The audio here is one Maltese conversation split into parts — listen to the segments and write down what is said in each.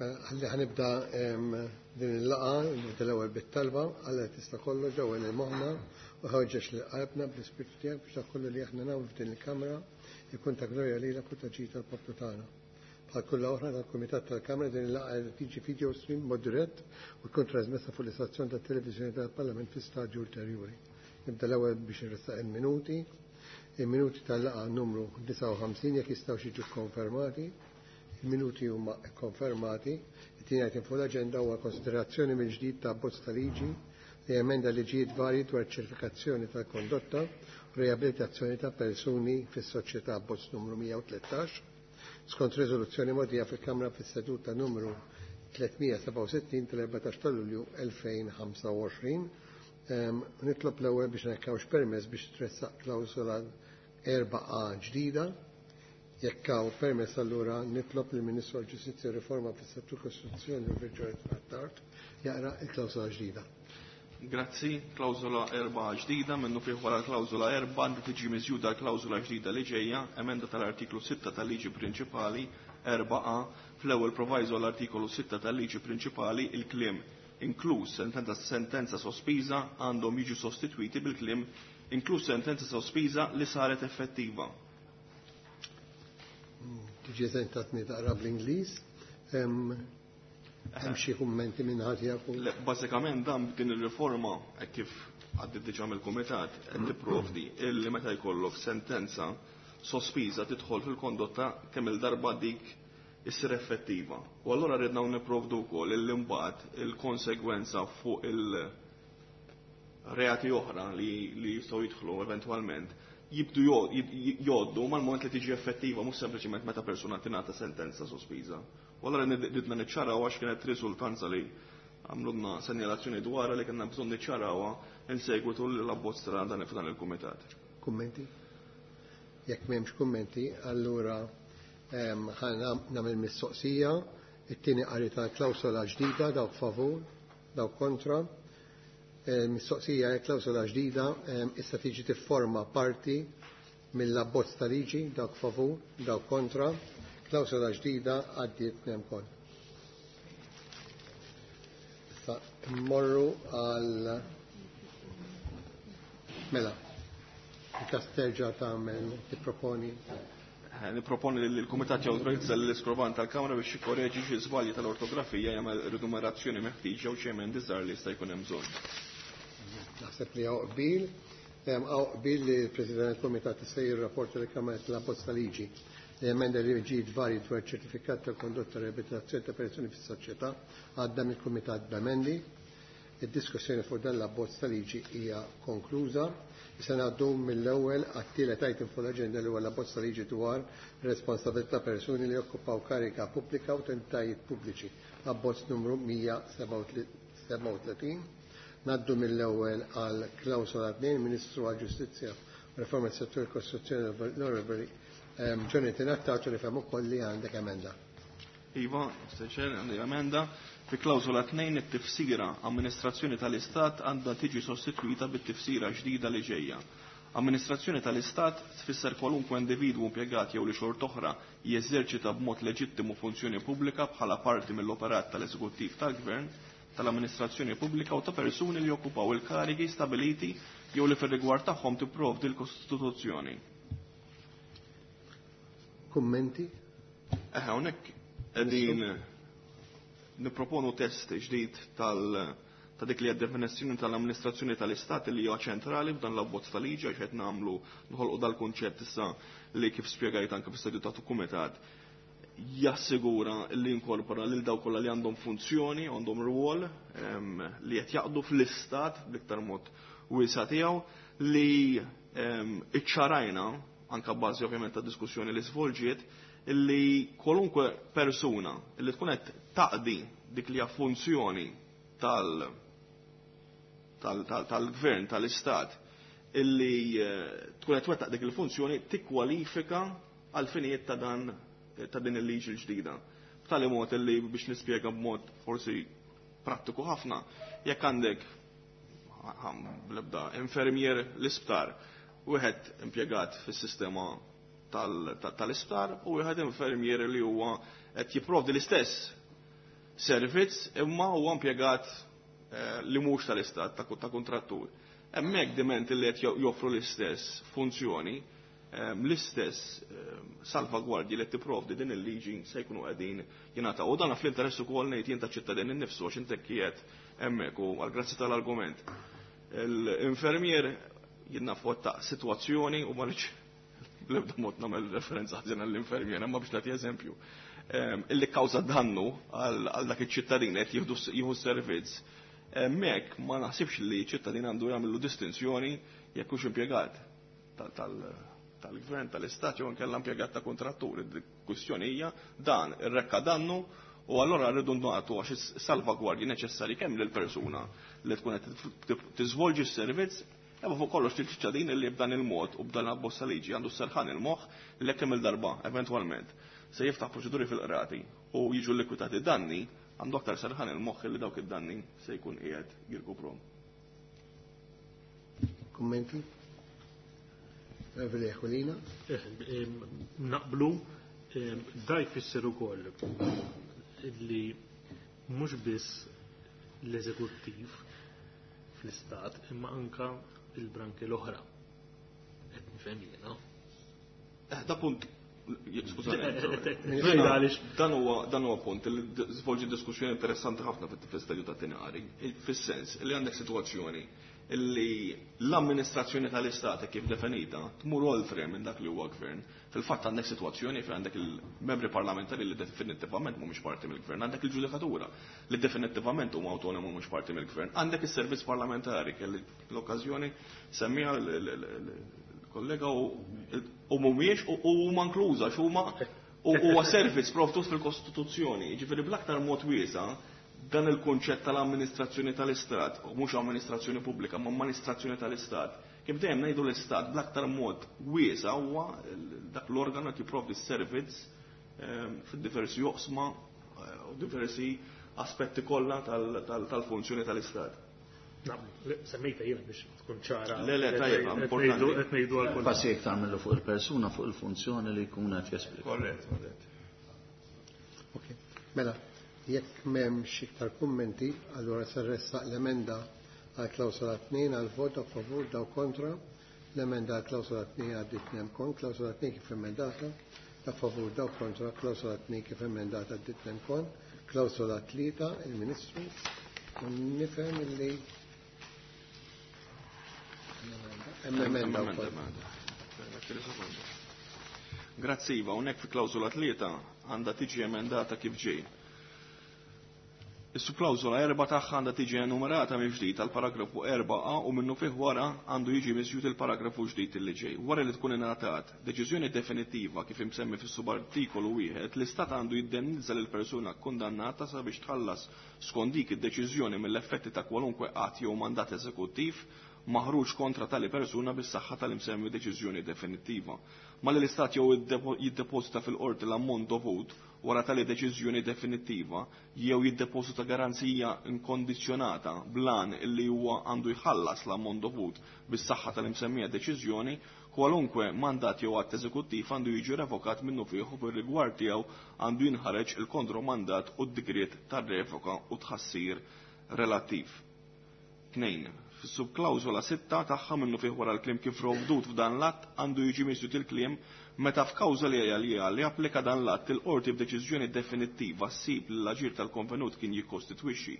Mela, ħalli ħanibda din il-laqgħa, nibda l-ewwel bit-talba, Alla tista' kollox ġewwa lil moħħna u ħeġġeġ lil qalbna bl-Ispirtu tiegħek biex dak kollu li aħna nagħmlu f'din il-kamra jkun ta' glorja lilek u ta' ġid tal-poplu tagħna. Bħal kull oħra tal-Kumitat tal-Kamra din il-laqgħa qed tiġi video stream mod dirett u tkun trasmessa fuq l-istazzjon tat-televiżjoni tal-Parlament fi stadju ulterjuri. Nibda l-ewwel biex nressaq il-minuti. Il-minuti tal-laqgħa numru 59 jekk jistgħu jiġu konfermati. Il-minuti huma konfermati. It-tieni item fuq l-aġenda huwa konsiderazzjoni mill-ġdid ta' abbozz ta' liġi li emenda liġijiet varji dwar ċertifikazzjoni tal-kondotta u riabilitazzjoni ta' persuni fis-soċjetà abbozz numru 113 skont riżoluzzjoni mogħtija fil-Kamra fis-seduta numru 367 tal-14 ta' Lulju 2025. Nitlob l-ewwel biex nekkawx permess biex tressaq klawsola 4A ġdida. Jekk hawn permess allura nitlob lill Ministru għall-Ġustizzja u Riforma fis-Settur Kostituzzjoni u Virġonet Attard jaqra l-klawsola ġdida. Grazzi, klawsola 4 ġdida, minnu fih wara l-klawsola 4 għandu tiġi miżjuda l-klawsola ġdida li ġejja, emenda tal-artiklu 6 tal-liġi prinċipali 4A, fl-ewwel proviso l-artikolu 6 tal-liġi prinċipali il-kliem inkluż sentenza, sentenza sospiża għandhom jiġu sostitwiti bil-kliem inkluż sentenza sospiża li saret effettiva. Tiġi eżentatni taqra bl-Ingliż. Hemm xi kummenti minn ħadd jafu? Le, bażikament dan din ir-riforma hekk kif għaddiet diġà mill-kumitat qed tipprovdi illi meta jkollok sentenza sospiża tidħol fil-kondotta kemm il-darba dik issir effettiva. U allura ridna nipprovdu wkoll illi mbagħad il-konsegwenza fuq il-reati oħra li, li jistgħu jidħlu eventwalment jibdu jgħoddu mal-moment li tiġi effettiva mhux sempliċement meta persuna tingħata sentenza sospiża. U allura ridna niċċaraw għax kienet riżultanza li għamlulna senjalazzjoni dwarha li kellna bżonn niċċarawha in segwitu l-abbozz ta' dan f'dan il-kumitat. Kummenti? Jekk m'hemmx kummenti, allura ħa nagħmel mistoqsija, it-tieni qari tal-klawsola ġdida dawk favur, dawk kontra. Mistoqsija hija klawsola ġdida issa tiġi tifforma parti mill-abbozz ta' liġi dawk favur, dawk kontra. Klawsola ġdida għaddiet nemkol. Issa mmorru għal mela. Il-kas terġa' tagħmel tipproponi. Niproponi li l-Kumitat jawtorizza l-iskroban tal-Kamra biex jikkoreġi xi żbalji tal-ortografija jagħmel rinumerazzjoni meħtieġa u xi emendi żgħar li jista' jkun hemm bżonn. Naħseb li hawn qbil, hawn qbil li l-President tal-Kumitat se jirrapporta lill-Kamra l-abbozz ta' liġi li emenda liġijiet varji dwar ċertifikat ta' kondotta riabilitazzjoni ta' persuni fis-soċjetà għadda mill-Kumitat b'emendi. Id-diskussjoni fuq dan l-abbozz ta' liġi hija konkluża. Issa ngħaddu mill-ewwel għat-tielet item fuq l-aġenda li huwa l-abbozz ta' liġi dwar responsabilità persuni li jokkupaw karika pubblika u entitajiet pubbliċi. Abbozz numru 137. Ngħaddu mill-ewwel għal klawsola 2, Ministru għall-Ġustizzja u Riforma tas-Settur Kostituzzjoni l-Onorevoli Jonathan Attard li fhem ukoll li għandek emenda. Iva, Mr. għandi emenda. Fi klawsola 2 it-tifsira amministrazzjoni tal-Istat għandha tiġi sostitwita bit-tifsira ġdida li ġejja. Amministrazzjoni tal-Istat tfisser kwalunkwe individwu impjegat jew li xort oħra jeżerċita b'mod leġittimu funzjoni pubblika bħala parti mill-operat tal-eżekuttiv tal-Gvern, tal-amministrazzjoni pubblika u ta' persuni li jokkupaw il-karigi stabiliti jew li fir-rigward tagħhom tipprovdi l-Kostituzzjoni. Kummenti? Hawnhekk qegħdin nipproponu test ġdid tal ta' dik li hija definizzjoni tal-amministrazzjoni tal-Istat li hija ċentrali f'dan l-abbozz ta' liġi għax qed nagħmlu nħolqu dal-kunċett issa li kif spjegajt anke fis-seduta ta' kumitat jassigura li inkorpora lil dawk kollha li għandhom funzjoni, għandhom rwol li qed jaqdu fl-istat bl-iktar mod wiesa' tiegħu li iċċarajna anka bażi ovvjament ta' diskussjoni li svolġiet li kwalunkwe persuna li tkun qed taqdi dik li hija funzjoni tal-gvern, tal-istat, illi tkun qed twettaq dik il-funzjoni tikkwalifika għal finijiet ta' dan ta' din il-liġi l-ġdida. B'tali mod illi biex nispjega b'mod forsi prattiku ħafna, jekk għandek bl-ebda infermier l-isptar, wieħed impjegat fis-sistema tal-isptar u wieħed infermier li huwa qed jipprovdi l-istess servizz imma huwa impjegat li mhux tal-istat ta' kontrattur. Hemmhekk diment li qed joffru l-istess funzjoni, l-istess salvagwardji li tipprovdi din il-liġi se jkunu qegħdin jingħataw. U dan fl-interess ukoll ngħid jien taċ-ċittadin innifsu għax inti qiegħed hemmhekk u għall-grazzi tal-argument. L-infermier jien naf ta' sitwazzjoni u ma rridx bl-ebda mod nagħmel referenza ħażin għall-infermier, imma biex nagħti eżempju. Illi kkawża dannu għal dak iċ-ċittadin qed jieħu s-servizz. Hemmhekk ma naħsibx li ċittadin għandu jagħmlu distinzjoni jekk hux impjegat tal-gvern, tal-istat jew inkella impjegat ta' kontrattur. Il-kwistjoni hija dan irrekka dannu u allura rridu nagħtu għax salvagwardji neċessarji kemm lill-persuna li tkun qed tiżvolġi s-servizz, imma fuq kollox lill-ċittadin li b'dan il-mod u b'dan l-abbozz ta' liġi għandu s-serħan il-moħħ li jekk kemm il-darba eventwalment se jiftaħ proċeduri fil-qrati u jiġu likwidati danni, għandu aktar serħan il-moħħ li dawk id-danni se jkun qiegħed jirkuprom. Kummenti? Reveli Aquilina? Naqblu, da jfisser ukoll li mhux biss l-eżekuttiv fl-istat imma anka il-branki l-oħra. Qed nifhem jiena. Da punt, skużani. Dan huwa punt li żvolġi diskussjoni interessanti ħafna fil-stadju ta' tinari, fis-sens li għandek sitwazzjoni li l-amministrazzjoni tal-istat kif definita tmur oltre minn dak li huwa gvern. Fil-fatt għandek sitwazzjoni fejn għandek il-membri parlamentari li definittivament mhumiex parti mill-gvern, għandek il-ġudikatura li definittivament huma autonomu mhumiex parti mill-gvern, għandek is-servizz parlamentari kelli l-okkażjoni semmiha l-kollega u mhumiex u huma inkluża x'huma huwa servizz provdut fil-Kostituzzjoni. Jiġifieri bl-aktar mod wiesa' dan il-kunċett tal-amministrazzjoni tal-Istat, u mhux amministrazzjoni pubblika, ma amministrazzjoni tal-Istat. Kif dejjem ngħidu l-Istat bl-aktar mod wiesa' huwa dak l-organu qed jipprovdi s-servizz fid-diversi joqsma u diversi aspetti kollha tal-funzjoni tal-Istat. Semmejta jiena biex tkun ċara. Le, le, tajjeb, importanti. Qed ngħidu għal kulħadd. Passi jekk tagħmlu fuq il-persuna, fuq il-funzjoni li jkun qed jesplika. Korrett, korrett. Ok, mela, jekk m'hemmx iktar kummenti, allura se ressaq l-emenda għal klawsola 2 għal vot a favur daw kontra. L-emenda għal klawsola 2 għaddit nem kon, klawsola 2 kif emendata, a favur daw kontra, klawsola 2 kif emendata għaddit nem kon, klawsola 3 il-Ministru, u nifhem illi hemm emenda wkoll. Grazzi Iva, hawnhekk fi klawsola 3 għandha tiġi emendata kif ġej. Is-subklawżola 4 tagħha għandha tiġi enumerata mill-ġdid għal paragrafu 4a u minnu fih wara għandu jiġi miżjud il-paragrafu ġdid li ġej. Wara li tkun ingħatat deċiżjoni definittiva kif imsemmi fis-subartikolu 1, l-Istat għandu jiddemnizza lil persuna kkundannata sabiex tħallas skont dik id-deċiżjoni mill-effetti ta' kwalunkwe att jew mandat eżekuttiv maħruġ kontra tali persuna bis-saħħa tal-imsemmi deċiżjoni definittiva. Malli l-Istat jew jiddeposita fil-qorti l-ammont dovut wara tali deċiżjoni definittiva jew jiddeposita garanzija inkondizzjonata blan illi huwa għandu jħallas l-ammont dovut bis-saħħa tal-imsemmija deċiżjoni, kwalunkwe mandat jew att eżekuttiv għandu jiġi revokat minnu fih u fir-rigward tiegħu għandu jinħareġ il-kontromandat u d-digriet tar-revoka u tħassir relattiv. 2. Fis-subklawżola 6 tagħha minnu fih wara l-kliem kif provdut f'dan l-att għandu jiġi miżjud il-kliem meta f'kawża li hija li li applika dan l-att il-qorti b'deċiżjoni definittiva ssib li l-aġir tal-konvenut kien jikkostitwixxi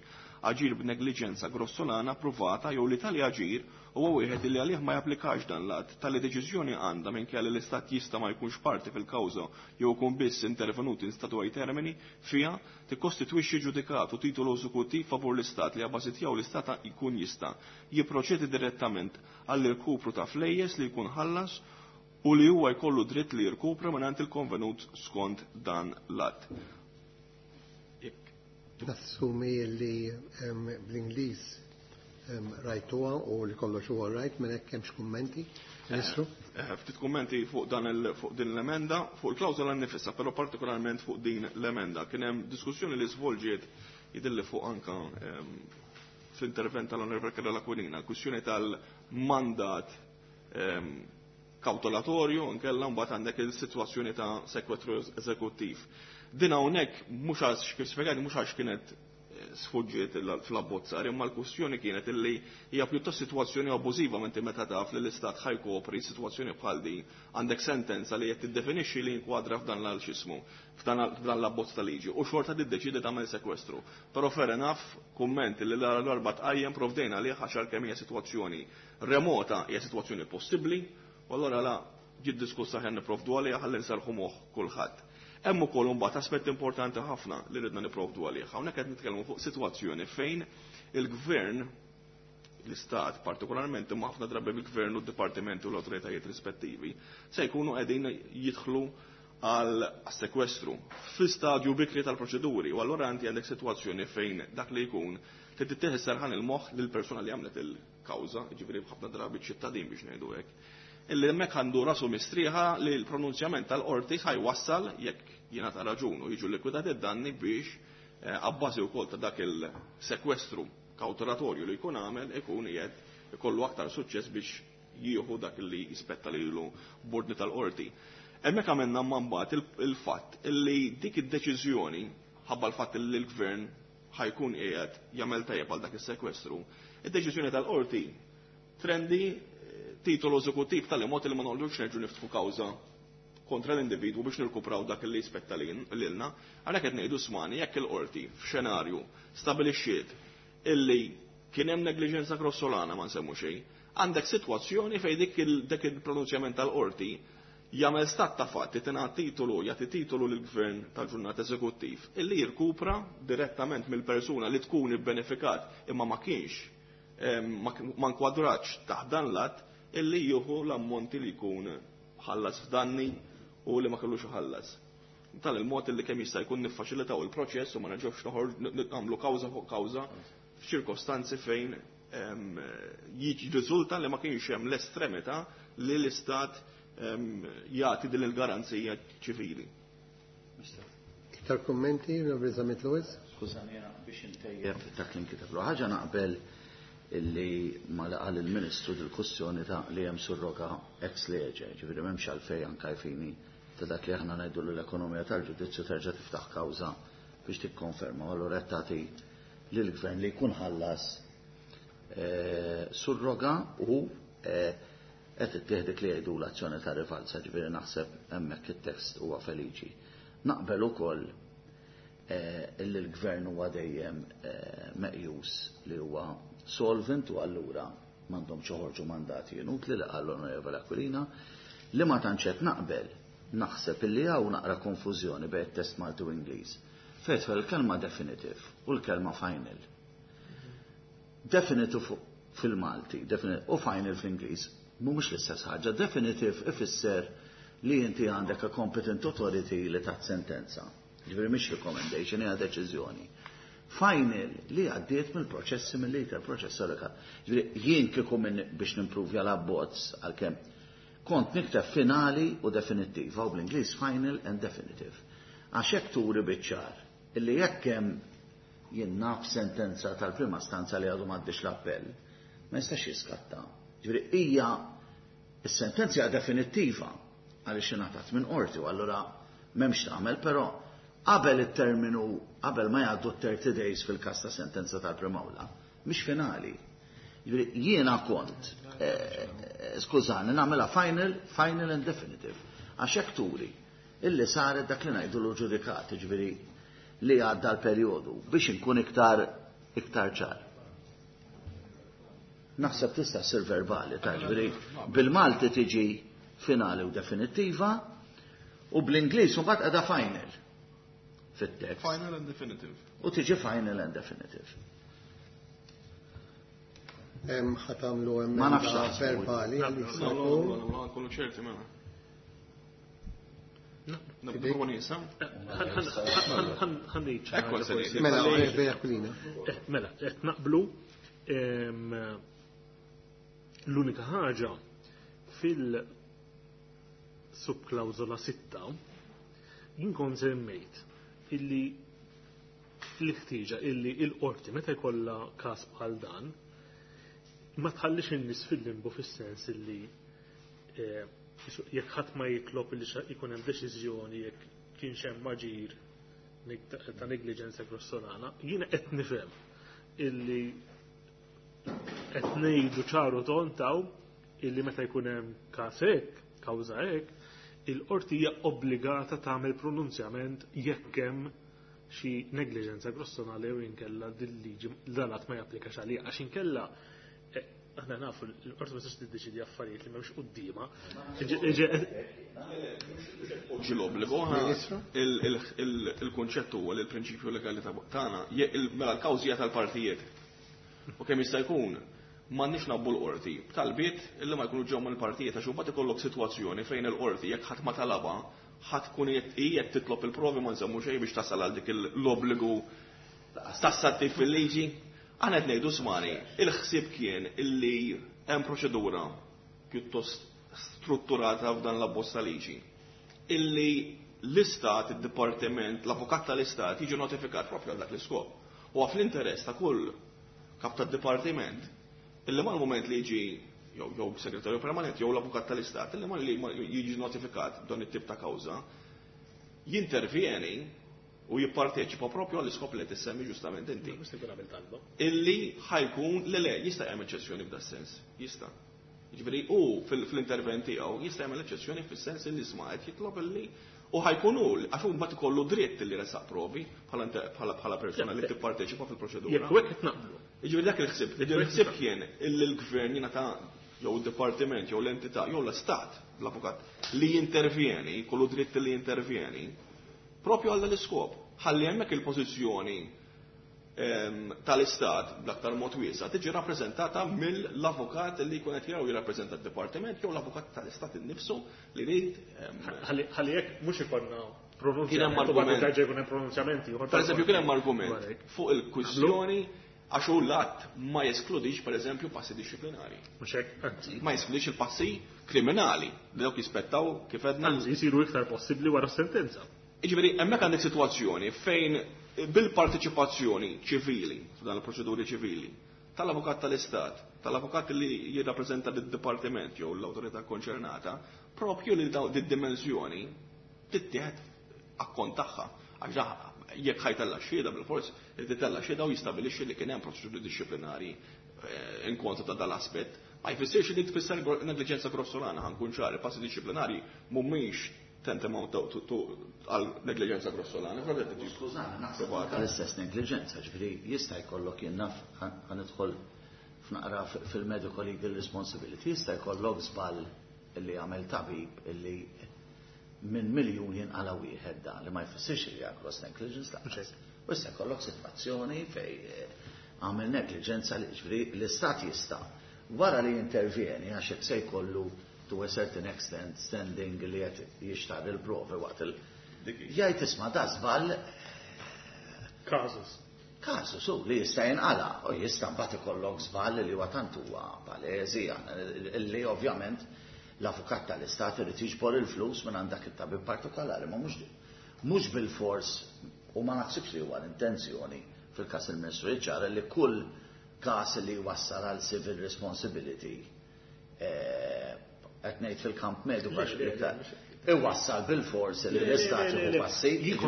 aġir b'negliġenza grossolana provata jew li tali aġir huwa wieħed li għalih ma japplikax dan l-att. Tali deċiżjoni għandha minkejja li l-Istat jista' ma jkunx parti fil-kawża jew ikun biss intervenut in statu ai termini fiha tikkostitwixxi ġudikat u titolu eżekuttiv favur l-Istat li għabbażi tiegħu l-Istat jkun jista' jipproċedi direttament għall-irkupru ta' flejjes li jkun ħallas u li huwa jkollu dritt li jirkupra mingħand il-konvenut skont dan l-att. Nassumi li bl-Ingliż rajtuha u li kollox huwa rajt minn hekk hemmx kummenti. Ministru? Ftit kummenti fuq dan fuq din l-emenda, fuq il-klawżola nnifisha, però partikolarment fuq din l-emenda. Kien hemm diskussjoni li svolġiet jidilli fuq anka fl-intervent tal-Onorevole Karol Aquilina, kwistjoni tal-mandat kawtolatorju, nkella mbagħad għandek il-sitwazzjoni ta' sekwestru eżekuttiv. Din hawnhekk mhux għax kif spjegajt mhux għax kienet sfuġġiet fl-abbozzar, imma l-kwestjoni kienet illi hija pjuttost sitwazzjoni abbużiva menti meta taf li l-istat ħajkopri sitwazzjoni bħal din għandek sentenza li qed tiddefinixxi li jinkwadra f'dan l xismu f'dan l-abbozz ta' liġi u xorta tiddeċidi tagħmel sekwestru. Però fair enough kumment li l-darba tqajjem provdejna għalih għax għalkemm hija sitwazzjoni remota hija sitwazzjoni possibbli u allura la ġiet diskussa ħen nipprovdu għaliha ħalli nserrħu moħħ kulħadd. Hemm ukoll imbagħad aspett importanti ħafna li ridna nipprovdu għalih. Hawnhekk qed nitkellmu fuq sitwazzjoni fejn il-gvern l-istat partikolarment imma ħafna drabi bil-gvern u d-dipartimenti u l-awtoritajiet rispettivi se jkunu qegħdin jidħlu għal sekwestru fi stadju bikri tal-proċeduri u allura inti għandek sitwazzjoni fejn dak li jkun trid tittieħed serħan il-moħħ lill-persuna li għamlet il-kawża, jiġifieri ħafna drabi ċittadin biex ngħidu hekk, illi hemmhekk għandu rasu mistrieħa li l-pronunzjament tal-qorti ħajwassal jekk jingħata raġun u jiġu likwidati d-danni biex abbażi wkoll ta' dak il-sekwestru kawtelatorju li jkun għamel ikun qiegħed ikollu aktar suċċess biex jieħu dak li jispetta lilu b'ordni tal-qorti. Hemmhekk għamilna mbagħad il-fatt illi dik id-deċiżjoni ħabba l-fatt li l-gvern ħajkun qiegħed jagħmel tajjeb għal dak is-sekwestru, id-deċiżjoni tal-qorti trendi titolu eżekuttiv tal-mod li ma noqogħdux nerġgħu niftħu kawża kontra l-individwu biex nirkupraw dak li jispetta lilna. Għalhekk qed ngħidu smani jekk il-qorti f'xenarju stabilixxiet illi kien hemm negliġenza grossolana ma nsemmu xejn, għandek sitwazzjoni fejn dik il-pronunzjament tal-qorti jagħmel stat ta' fatti tingħat titolu jagħti titolu lill-gvern tal-ġurnata eżekuttiv illi jirkupra direttament mill-persuna li tkun ibbenefikat imma ma kienx ma nkwadratx taħt dan l-att illi jieħu l-ammonti li jkun ħallas f'danni u li ma kellux iħallas. Tal il-mod illi kemm jista' jkun niffaċilitaw il-proċess u ma nerġgħux noħorġ nagħmlu kawża fuq kawża f'ċirkostanzi fejn jirriżulta li ma kienx hemm l-estremità li l-istat jagħti din il-garanzija ċivili. Iktar kummenti, Onorevoli Zammit Lewis? Skużani, jiena biex intejjeb dak li nkiteb. Ħaġa naqbel illi ma laqal il-Ministru dil-kwestjoni ta' li hemm surroga ex lege, ġifieri m'hemmx għalfejn anke fini ta' dak li aħna ngħidu l-ekonomija tal-ġudizzju terġa' tiftaħ kawża biex tikkonferma, u allura qed tagħti lill-gvern li jkun ħallas surroga u qed ittieħ dik li jgħidu l-azzjoni ta' rivalsa, ġifieri naħseb hemmhekk it-test huwa feliċi. Naqbel ukoll illi l-gvern huwa dejjem meqjus li huwa solvent u allura m'għandhomx joħorġu mandati inutli li qal l-Onorevole Aquilina, li ma tantx qed naqbel naħseb illi hawn naqra konfużjoni bejn it-test Malti u Ingliż. Fejn tidħol il-kelma definitive u l-kelma final. Definitive fil-Malti, u final fl-Ingliż mhumiex l-istess ħaġa. Definitive ifisser li inti għandek a competent authority li tat sentenza. Ġifieri mhix recommendation, hija deċiżjoni. Final li għaddiet mill-proċessi mill-iter proċess għalika. Ġifieri jien kieku minn biex nimpruvja l-abbozz għalkemm kont nikteb finali u definittiva, u bl-Ingliż final and definitive. Għax hekk turi biċ-ċar illi jekk hemm jien naf sentenza tal-prima stanza li għadu m'għaddix l-appell, ma jistax jiskatta. Ġifieri hija is-sentenza hija definittiva għaliex ingħatat minn qorti u allura m'hemmx tagħmel, però qabel it-terminu, qabel ma jgħaddu 30 days fil-każ ta' sentenza tal-primawla, mhix finali. Ġifieri jiena kont, skużani, nagħmilha final, final and definitive. Għax hekk turi illi saret dak li ngħidu l-ġudikat, ġifieri li għadda l-perjodu biex inkun iktar ċar. Naħseb tista' ssir verbali, ta' ġifieri bil-Malti tiġi finali u definittiva u bl-Ingliż mbagħad qiegħda final fit-tekst. Final and definitive. U tiġi final and definitive. Hemm ħa tagħmlu Ma nafx emenda taħsbu. verbali li No, no, jista' no, jkun. no, no, nkunu ċerti mela. Niproponi issa? Ħa ngħid xi Ekku ħaġa se forsi. ngħid. Mela, Mela, Onorevoli Aquilina. Mela, qed naqblu l-unika ħaġa fil-subklawżola 6 jien kont semmejt illi l-ħtieġa illi l-qorti meta jkollha każ bħal dan ma tħallix in-nies fil-limbu fis-sens illi Jekk ħadd ma jitlob li jkun hemm deċiżjoni jekk kienx hemm aġir ta' negliġenza grossolana, jiena qed nifhem illi qed ngħidu ċaru tontaw illi meta jkun hemm każ hekk, kawża hekk, il-qorti hija obbligata tagħmel pronunzjament jekk hemm xi negliġenza grossolana jew inkella dil-liġi dalat ma japplikax għalija għax inkella aħna nafu l-qorti ma tistax tiddeċidi affarijiet li m'hemmx quddiemha. Poġġi l-obbligu, il-kunċett huwa li l-prinċipju legali tagħna mela l-kawżi hija tal-partijiet. U kemm jista' jkun m'għandniex nabbu l-qorti b'talbiet illi ma jkunu ġew mill-partijiet għax imbagħad ikollok sitwazzjoni fejn il-qorti jekk ħadd ma talabha ħadd tkun qed titlob il-provi ma nsemmu xejn biex tasal għal dik l-obbligu tassattiv fil-liġi. Aħna qed ngħidu smani, il-ħsieb kien illi hemm proċedura pjuttost strutturata f'dan l-abbozz ta' liġi. Illi l-istat, id-dipartiment, l-avukat tal-istat jiġi notifikat propju għal dak l-iskop. U fl-interess ta' kull kap tad-dipartiment illi mal-moment li jiġi jew segretarju permanent jew l-avukat tal-istat illi mal li jiġi notifikat dan it-tip ta' kawża jintervjeni u jipparteċipa propju għall-iskop li tissemmi ġustament inti. Mhux se jkun għamel talba. Illi ħa jkun le jista' jagħmel eċċezzjoni f'da sens, jista'. Jiġifieri hu fl-intervent tiegħu jista' jagħmel eċċezzjoni fis-sens illi isma' qed jitlob illi u ħa jkun hu għax hu mbagħad ikollu dritt li resaq provi bħala persuna li tipparteċipa fil-proċedura. Jekk hekk qed naqblu. Jiġifieri dak il-ħsieb, il-ħsieb kien illi l-gvern jingħata jew id-dipartiment jew l-entità jew l-istat l-avukat li jintervjeni, kollu dritt li jintervjeni, propju għal l-iskop. Ħalli hemmhekk il-pożizzjoni tal-istat bl-aktar mod wiesa' tiġi rappreżentata mill-avukat li jkun qed jew jirrappreżenta d-dipartiment jew l-avukat tal-istat innifsu li jrid Ħalli jekk mhux ikollna Kien hemm pronunzjament, u argument. terġa' jkun hemm pronunzjamenti. ieħor Per eżempju, kien hemm argument Dwar hekk. fuq il-kwistjoni għax hu l-att ma jeskludix per eżempju passi dixxiplinari. Mhux hekk, anzi. Ma jeskludix il-passi kriminali li dawk jispettaw kif għedna. Anzi, jisiru iktar possibbli wara s-sentenza. Jiġifieri hemmhekk għandek sitwazzjoni fejn bil-partiċipazzjoni ċivili, f'dan il-proċeduri ċivili, tal-avukat tal-Istat, tal-avukat li jirrappreżenta d-dipartiment jew l-awtorità konċernata, propju li daw di-dimensjoni tittieħed akkont tagħha. Għax jekk ħa jtella' xhieda bil-fors, titella' xhieda u jistabilixxi li kien hemm proċeduri dixxiplinari in kontra ta' dal-aspett. Ma jfissirx li tfisser negliġenza grossolana, ħa nkun ċari, passi dixxiplinari mhumiex tantamount to għal negliġenza grossolana. Però qed tiġi Skużani, naħseb provata. l-istess negliġenza, ġifieri jista' jkollok jien naf ħa nidħol f'naqra fil-medical legal responsibility, jista' jkollok żball illi għamel tabib illi minn miljun jinqala wieħed dan li ma jfissirx li hija gross negligence lanqas. U issa jkollok sitwazzjoni fej għamel negliġenza li ġifieri l-istat jista' wara li jintervjeni għax hekk se jkollu to a certain extent standing li qed jixtar il-provi waqt il- Jgħid isma' da żball Kazus. Kazu su li jista' jinqala u jista' mbagħad ikollok żball li huwa tant huwa palesi li ovvjament l-avukat tal-istat irid jiġbor il-flus minn għand dak it-tabib partikolari, ma mhux bil-fors u ma naħsibx li huwa l-intenzjoni fil-każ il-Ministru jiċċara li kull każ li wassal għal civil responsibility qed ngħid fil-kamp mediku għax iktar iwassal bil-fors li l-istat jieħu passi. Jien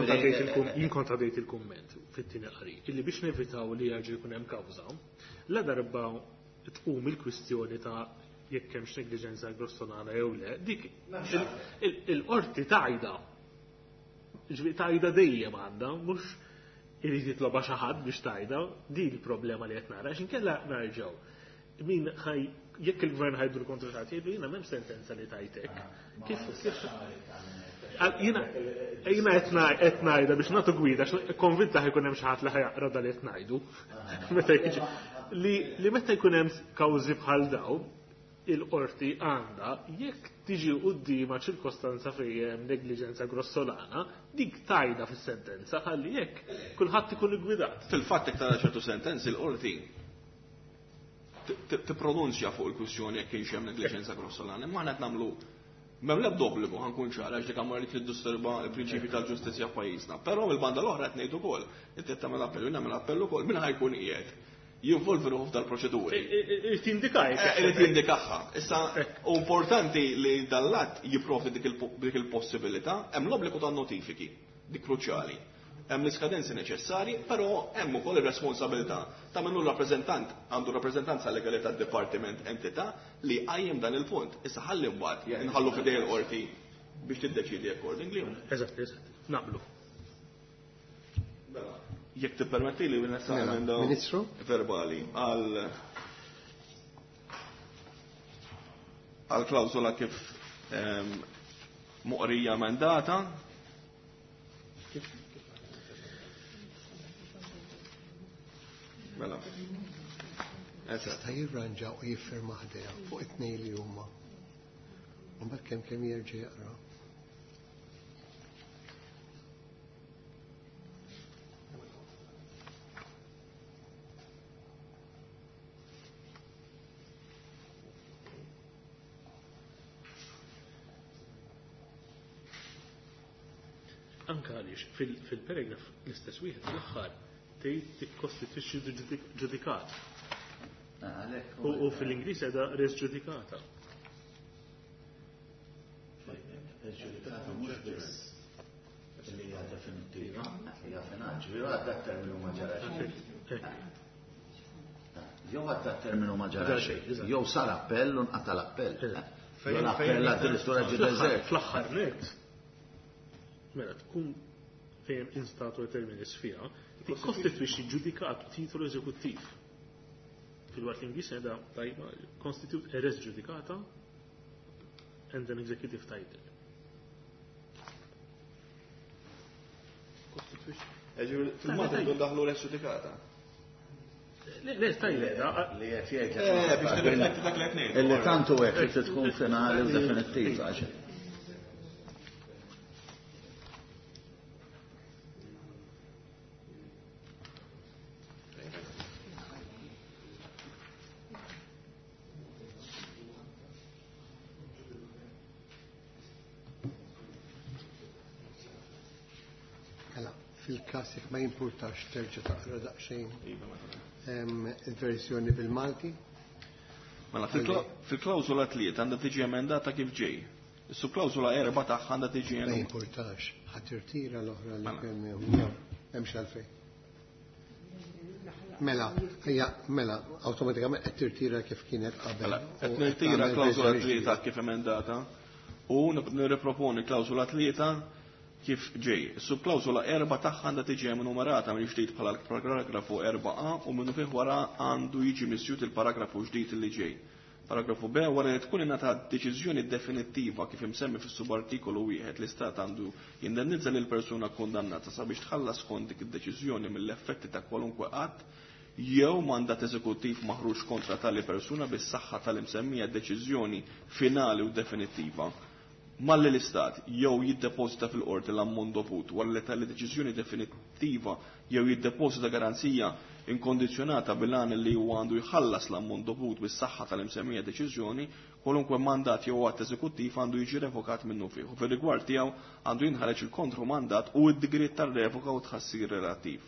kont għadejt il-kumment fit-tieni qari illi biex nevitaw li jerġa' jkun hemm kawża, la darba tqum il-kwistjoni ta' jekk hemmx negliġenza grossolana jew le, dik il-qorti tajda. Ġifieri tajda dejjem għandha, mhux irid jitloba xi ħadd biex tajda, din il-problema li qed nara, għax inkella nerġgħu. Min ħaj jekk il-gvern ħa jdur kontra xi ħadd jgħidu jiena m'hemm sentenza li tajtek. Kif kif jiena qed ngħidha biex nagħtu gwida, għax konvinta ħa jkun hemm xi ħadd li ħa jaqra dal qed ngħidu. Meta jiġi li meta jkun hemm kawżi bħal daw, il-qorti għandha jekk tiġi quddiema ċirkostanza fejn hemm negliġenza grossolana, dik tajda fis-sentenza ħalli jekk kulħadd ikun iggwidat. Fil-fatt jekk tara ċertu sentenzi l-qorti tippronunzja fuq il-kwistjoni jekk kienx hemm negliġenza grossolana, imma aħna qed nagħmlu m'hemm l-ebda obbligu ħa nkun ċara għax dik għamma li tiddisturba l-prinċipji tal-ġustizzja f'pajjiżna. Però mill-banda l-oħra qed ngħid ukoll, inti qed tagħmel appell, jien nagħmel appell ukoll, min ħa jkun qiegħed. jinvolvi ruħu f'dal-proċeduri. Irid jindika. Irid jindikaha. Issa, u importanti li dal-att jipprovdi dik il-possibilità, hemm l-obbligu ta' notifiki, dik kruċjali. Hemm l-iskadenzi neċessarji, però hemm ukoll ir-responsabilità ta' min hu rappreżentant għandu rappreżentanza legali tad-dipartiment entità li qajjem dan il-punt. Issa ħalli mbagħad inħallu f'idej il-qorti biex tiddeċidi accordingly. Eżatt, eżatt. Naqblu. Mela, jekk tippermetti li nessa Mela, emenda Ministru? verbali għal klawsola kif moqrija emendata. Mela. Eżatt. Jista' jirranġa u jiffirma ħdejha fuq it-tnejn li huma. U mbagħad kemm kemm jerġa' jaqra. Anka għaliex fil-paragraf l-istess wieħed fl-aħħar tgħid tikkostitwixxi ġudikat. U fil-Ingliż qiegħda res ġudikata. Ġudikata mhux biss li hija definittiva, hija finali, ġifieri għadda terminu ma ġara xejn. Jew għadda terminu ma ġara xejn, jew sar appell u nqata' l-appell. Jew l-appell addirittura ġie deżert. Fl-aħħar net, mela tkun fejn in statu terminis fiha, tikkostitwixxi ġudikat titolu eżekuttiv. Fil-waqt l-Ingliż qiegħda tajba constitute a res judicata and an executive title. Fil-Malti rridu ndaħlu res judicata. Le, le, tajba, Li qed jgħid. Biex tirrifletti dak li qed ngħid. Illi tantu hekk li tkun finali u definittiva. Mela, fil-każ jekk ma jimpurtax terġa' taqra daqsxejn il-verżjoni bil-Malti. Mela, fil-klawżola 3 għandha tiġi emendata kif ġej. Is-subklawżola 4 tagħha għandha tiġi Ma emendata. jimpurtax, ħa tirtira l-oħra li Mela. kemm hemm. Hemmx għalfejn. Mela, hija mela, awtomatikament qed tirtira kif kienet qabel. Mela, qed U nirtira tagħmel klawżola verżjoni 3 kif emendata u nirriproponi klawżola 3 kif ġej. Is-subklawżola 4 tagħha għandha tiġi enumerata mill ġdid bħala l-paragrafu 4a u minnu fih wara għandu jiġi misjut il-paragrafu ġdid li ġej. Paragrafu B wara li tkun ingħatat deċiżjoni definittiva kif imsemmi fis-subartikolu 1 l-Istat għandu jindennizza lil persuna kondannata sabiex tħallas skont dik id-deċiżjoni mill-effetti ta' kwalunkwe att jew mandat eżekuttiv maħruġ kontra tali persuna bis-saħħa tal-imsemmija deċiżjoni finali u definittiva. Malli l-Istat jew jiddepożita fil-qorti l-ammont dovut wara li tali deċiżjoni definittiva jew jiddepożita garanzija inkondizzjonata bil-għan li huwa għandu jħallas l-ammont dovut bis-saħħa tal-imsemmija deċiżjoni, kwalunkwe mandat jew att eżekuttiv għandu jiġi revokat minnu fih. U fir-rigward tiegħu għandu jinħareġ il-kontromandat u d-digriet tar-revoka u tħassir relattiv.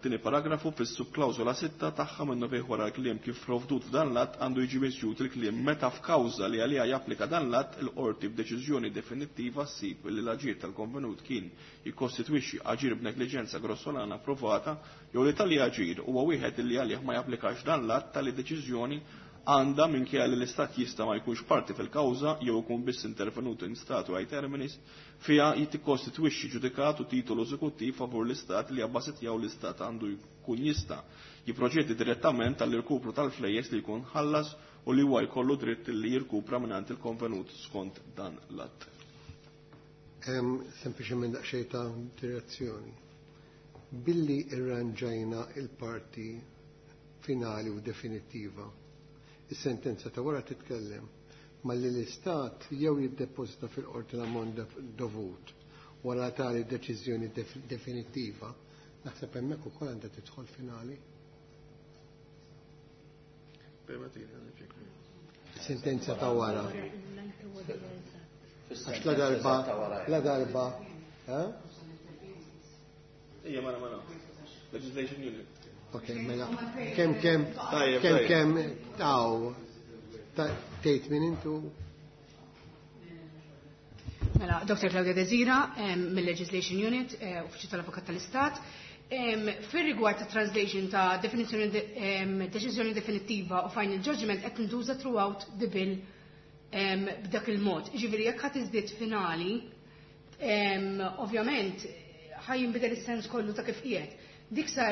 Tieni paragrafu fis-subklawżola 6 tagħha minnu fih wara l-kliem kif provdut f'dan l-att għandu jiġi misjut il-kliem meta f'kawża li għaliha japplika dan l-att il-qorti b'deċiżjoni definittiva ssib li l-aġir tal-konvenut kien jikkostitwixxi aġir b'negliġenza grossolana approvata jew li tali aġir huwa wieħed li għalih ma japplikax dan l-att tali deċiżjoni għandha minkejja li l-Istat jista' ma jkunx parti fil-kawża jew ikun biss intervenuto in statu ai terminis fiha jikkostitwixxi ġudikat u titolu eżekuttiv favur l-Istat li abbażi tiegħu l-Istat għandu jkun jista' jipproċedi direttament għall-irkupru tal-flejjes li jkun ħallas u li huwa jkollu dritt li jirkupra mingħand il-konvenut skont dan l-att. Hemm sempliċement daqsxejn ta' direzzjoni. Billi irranġajna il-parti finali u definittiva, is-sentenza ta' wara titkellem malli l-Istat jew jiddepożita fil-qorti l-ammont dovut wara tali deċiżjoni definittiva, naħseb hemmhekk ukoll għandha tidħol finali. Sentenza ta' wara. Għax la darba, la darba, eh? Ija, mela, mela. Legislation unit. Ok, mela. Kemm kemm Tajjeb, kemm tajjeb. kemm taw tgħid min intu Mela, Dr. Claudia Desira, mill-Legislation Unit, Uffiċċju tal-Avukat tal-Istat. Fir-rigward ta' translation ta' definizzjoni deċiżjoni definittiva u final judgment qed tintuża throughout the bill b'dak il-mod. Ġifieri jekk ħadd iżdied finali, ovvjament ħa jinbidel is-sens kollu ta' kif qiegħed. Dik sa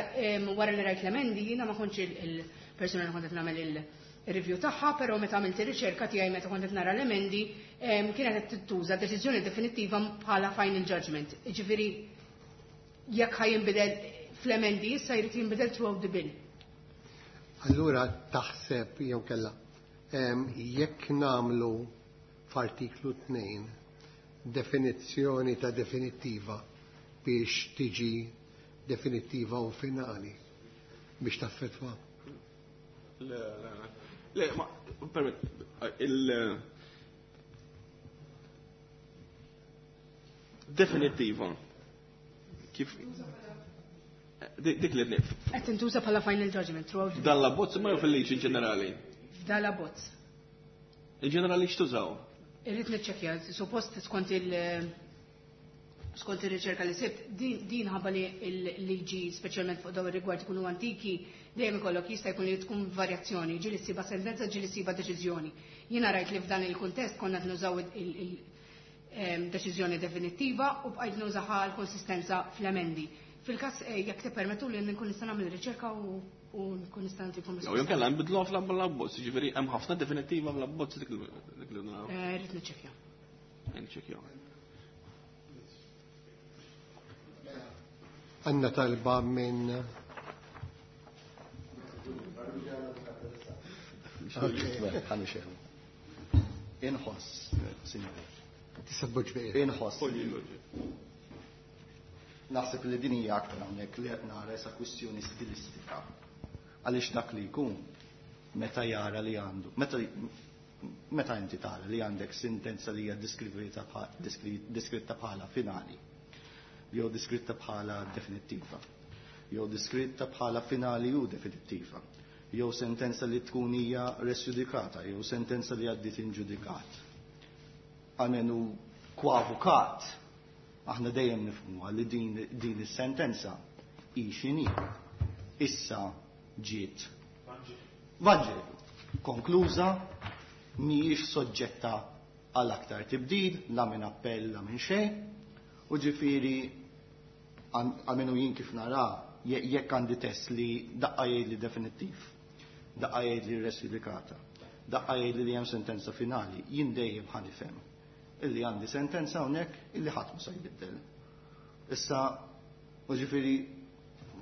wara li rajt l-emendi jiena ma kontx il-persuna li kont qed nagħmel il-review tagħha, però meta għamilt ir-riċerka tiegħi meta kont qed nara l-emendi, kienet qed tintuża deċiżjoni definittiva bħala final judgment. Ġifieri jekk ħa jinbidel fl-emendi issa jrid jinbidel throughout the bill. Allura taħseb jew kella jekk nagħmlu f'artiklu 2 definizzjoni ta' definittiva biex tiġi definittiva u finali biex taffetwa. Le, le, le, ma, permett, il definittiva. Kif dik li nif. Qed tintuża bħala final judgment throughout the Dan l-abbozz ma jew fil-liġi ġenerali. F'dan l-abbozz. Il-ġenerali x'tużaw? Irrid niċċekkja, suppost skont ir-riċerka li sibt, din ħabba li l-liġi speċjalment fuq dawn ir-rigward ikunu antiki, dejjem ikollok jista' jkun li tkun varjazzjoni, ġieli ssiba sentenza, ġieli ssiba deċiżjoni. Jiena rajt li f'dan il-kuntest konna qed nużaw il-deċiżjoni definittiva u bqajt nużaha l-konsistenza fl-emendi. Fil-każ jekk tippermettu li nkun nista' nagħmel riċerka u nkun nista' nagħtikom Jew jew kellha nbidluha fl-abbozz, jiġifieri hemm ħafna definittiva fl-abbozz dik li naraw. Rrid niċċekkja. Niċċekkjaw. Għandna talba minn Inħoss, signori. Tista' tboġġ bejn. Inħoss. Naħseb li din hija aktar hawnhekk li qed nara issa kwistjoni stilistika. Għaliex dak li jkun meta jara li għandu, meta inti tara li għandek sentenza li hija deskritta bħala finali, jew deskritta bħala definittiva, jew deskritta bħala finali u definittiva, jew sentenza li tkun hija res judicata, jew sentenza li għaddiet inġudikat. Għamenu kwa avukat, aħna dejjem nifhmuha li din is-sentenza hi x'inhi. Issa ġiet Vanġelu, konkluża, mhijiex soġġetta għal aktar tibdil, la minn appell, la minn xejn, u ġifieri għamenu jien kif nara, jekk għandi test li daqqa jgħid li definittiv, daqqa jgħid li res judicata, daqqa jgħid li hemm sentenza finali, jien dejjem ħa nifhem illi għandi sentenza hawnhekk illi ħadd ma se jbiddel. Issa, u ġifieri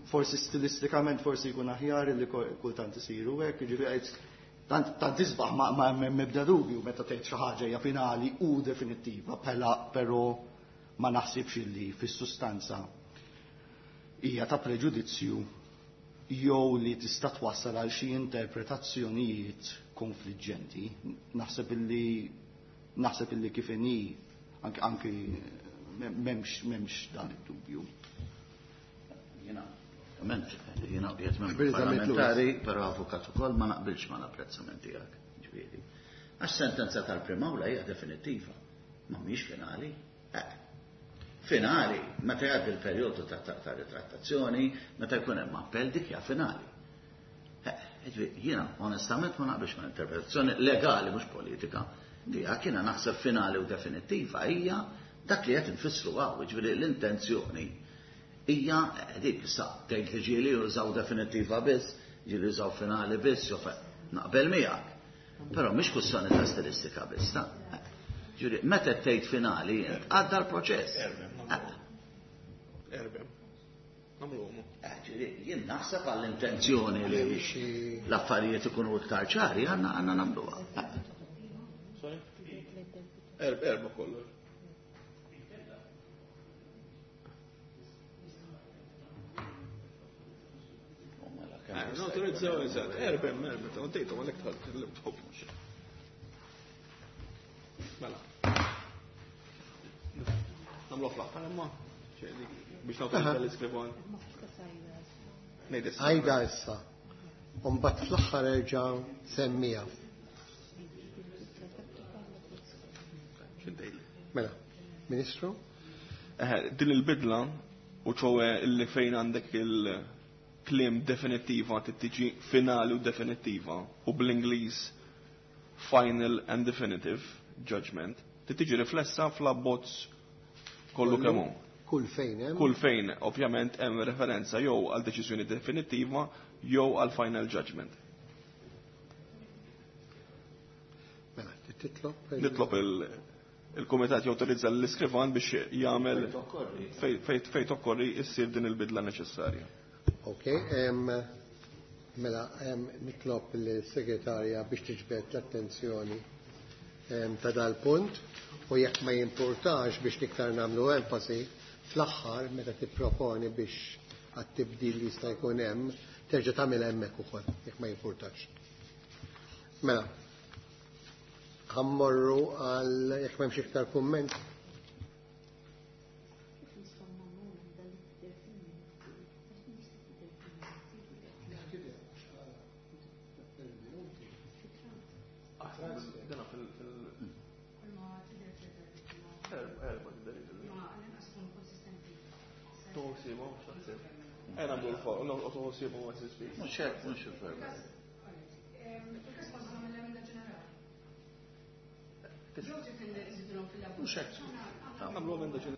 forsi stilistikament forsi jkun aħjar illi kultant isiru hekk, ġifieri tant isbaħ ma hemm ebda dubju meta tgħid xi ħaġa hija finali u definittiva, però ma naħsibx illi fis-sustanza hija ta' preġudizzju jew li tista' twassal għal xi interpretazzjonijiet konfliġġenti. Naħseb illi kif inhi anki m'hemmx dan id-dubju. Jiena, ovvjament, jiena qiegħed membru Abilità mitluqa. parlamentari, però avukat ukoll ma naqbilx ma l-apprezzament tiegħek, ġifieri. Għax sentenza tal-Prim'Awla hija definittiva, ma mhix finali. Finali, meta jgħaddi l-perjodu ta' ritrattazzjoni, meta jkun hemm appell dik hija finali. Ġifieri, jiena onestament ma naqbilx ma' interpretazzjoni legali mhux politika. Tiegħek jiena naħseb finali u definittiva hija dak li qed infissru hawn, ġifieri l-intenzjoni hija dik issa tgħid li ġieli jużaw definittiva biss, ġieli jużaw finali biss, jew naqbel miegħek. Però mhix kwistjoni ta' stilistika biss, ta' ġifieri meta tgħid finali għadda l-proċess. Erbem. Nagħmluhom. Ġifieri jien naħseb għall-intenzjoni li l-affarijiet ikunu iktar ċari għandna nagħmluha. Sorry? Erba kollu. Autorizzaw, eżatt. Erbem, erbem, ta' għoddejtu, għalek tħobb. Mela. Namlu fl-aħħar imma, biex nawtorizza l-iskrivan. Ngħid issa. Għajda issa. U mbagħad fl-aħħar erġa' semmija. X'intejli? Mela, Ministru? Din il-bidla u ċowe illi fejn għandek il-kliem definittiva tiġi finali u definittiva u bl-Ingliż final and definitive judgment tiġi riflessa fl-abbozz kollu kemm hu. Kull fejn hemm. Kull fejn ovvjament hemm referenza jew għal deċiżjoni definittiva jew għal final judgment. Mela, titlob. Nitlob il-Kumitat jawtorizza l-iskrivan biex jagħmel fejn tokkorri issir din il-bidla neċessarja. Ok, mela nitlob l-segretarja biex tiġbed l-attenzjoni ta' dal-punt u jekk ma jimpurtax biex niktar nagħmlu enfasi fl-aħħar meta tipproponi biex għat-tibdil li jista' jkun hemm terġa' tagħmel hemmhekk ukoll jekk ma jimpurtax. Mela, ħammorru għal jekk m'hemmx iktar kumment. Mhux hekk, mhux il-verba. Mhux hekk. Nagħmlu emenda ġenerali.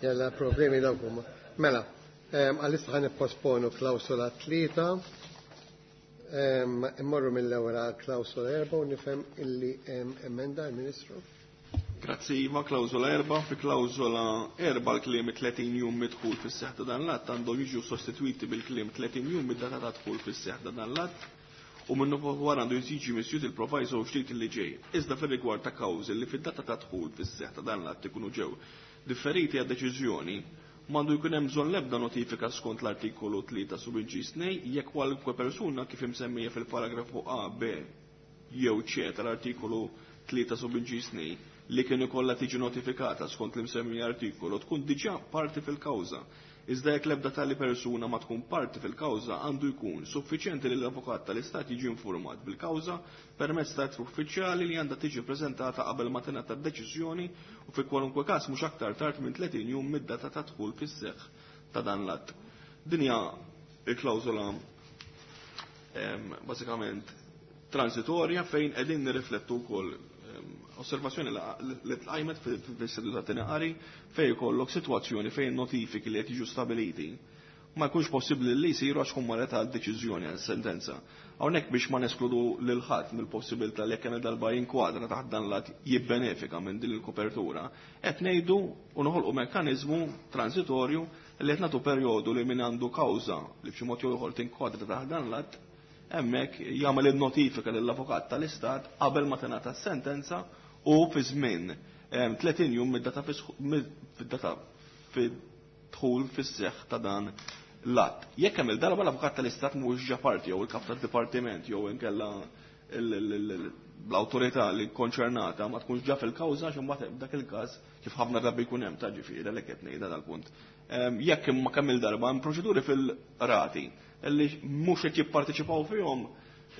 Jalla problemi dawk huma. Mela, għalissa ħan nipposponu klawsola 3, immorru mill-ewwel għal klawsola 4 u nifhem illi hemm emenda l-Ministru. Grazzi Iva, klawsola 4. Fi klawsola 4 l-kliem 30 jum midħul fis-seħħ ta' dan l-att għandhom jiġu sostitwiti bil-kliem 30 jum mid-data ta' dħul fis-seħħ ta' dan l-att u minnu wara għandu jiġi misjut il-proviso ġdid li ġej. Iżda fir-rigward ta' kawżi li fid-data ta' dħul fis-seħħ ta' dan l-att ikunu ġew differiti għad deċiżjoni, m'għandu jkun hemm bżonn l-ebda notifika skont l-artikolu 3 sub inċiż 2 jekk kwalunkwe persuna kif imsemmija fil-paragrafu A, B jew C tal-artikolu 3 sub inċiż 2 li kien ikollha tiġi notifikata skont l-imsemmi artikolu tkun diġà parti fil-kawża. Iżda jekk l-ebda tali persuna ma tkun parti fil-kawża għandu jkun suffiċjenti li l-avukat tal-Istat jiġi informat bil-kawża permezz ta' ittra uffiċjali li għandha tiġi preżentata qabel ma tingħata d-deċiżjoni u fi kwalunkwe każ mhux aktar tard minn 30 jum mid-data ta' dħul fis-seħħ ta' dan l-att. Din hija l-klawżola bażikament transitorja fejn qegħdin nirriflettu wkoll osservazzjoni li tqajmet fis-seduta tieni qari fejn jkollok sitwazzjoni fejn notifiki li qed jiġu stabiliti ma jkunx possibbli li jsiru għax tkun marret għal deċiżjoni għal sentenza. Hawnhekk biex ma neskludu lil ħadd mill-possibilità li jekk hemm darba jinkwadra taħt dan l-att jibbenefika minn din il-kopertura, qed ngħidu u noħolqu mekkaniżmu transitorju li qed nagħtu perjodu li min għandu kawża li b'xi mod jew ieħor tinkwadra taħt dan l-att hemmhekk jagħmel in-notifika lill-avukat tal-Istat qabel ma tingħata s-sentenza u fi żmien 30 jum mid-data fid-data fid-dħul fis-seħħ ta' dan l-att. Jekk hemm il-darba l-avukat tal-Istat mhuwiex ġa parti jew il-kap tad-dipartiment jew inkella l-awtorità li konċernata ma tkunx ġa fil-kawża għax imbagħad dak il-każ kif ħafna drabi jkun hemm ta' ġifieri għalhekk qed ngħidha dal-punt. Jekk imma kemm il-darba hemm proċeduri fil-qrati li mhux qed jipparteċipaw fihom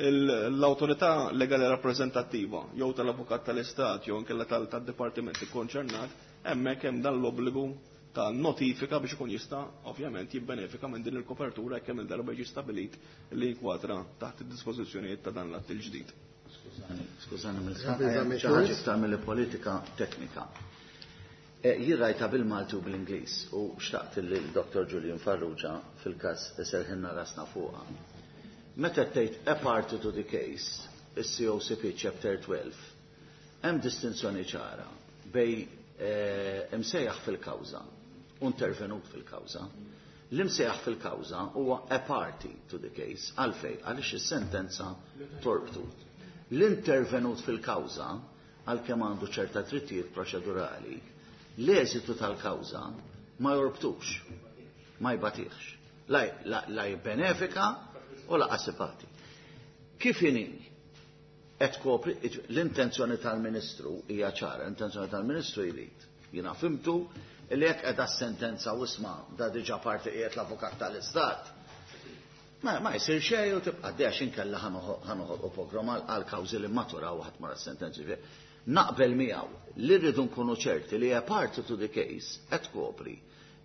l-awtorità legali rappreżentattiva jew tal-avukat tal-Istat jew inkella tad-dipartiment ikkonċernat, hemmhekk hemm dan l-obbligu ta' notifika biex ikun jista' ovvjament jibbenefika minn din il-kopertura jekk hemm il-darba jiġi stabilit li jinkwatra taħt id-dispożizzjonijiet ta' dan l-att il-ġdid. Skużani, skużani mill xi ħaġa iktar mill-politika teknika. Jien rajtha bil-Malti u bl-Ingliż u xtaqt li l-Dr. Julian Farrugia fil-każ iserħilna rasna fuqha. Meta tgħid a party to the case, is-COCP Chapter 12, hemm distinzjoni ċara bejn imsejjaħ fil-kawża u intervenut fil-kawża. L-imsejjaħ fil-kawża huwa a party to the case, għalfejn, għaliex is-sentenza torbtu. L-intervenut fil-kawża, għalkemm għandu ċerta drittijiet proċedurali, l-eżitu tal-kawża ma jorbtux, ma jbatihx. La, la, la jibbenefika u lanqas ibati. Kif inhi qed tkopri l-intenzjoni tal-Ministru hija ċara, l-intenzjoni tal-Ministru jrid. Jiena fhimtu li jekk qiegħda sentenza u isma' da diġà parti qiegħed l-avukat tal-Istat. Ma jsir xejn u tibqa' għaddejja inkella ħa noħolqu pogrom għal kawżi li maturaw ħadd mara sentenzi. Naqbel miegħu li rridu nkunu ċerti li a party to the case qed tkopri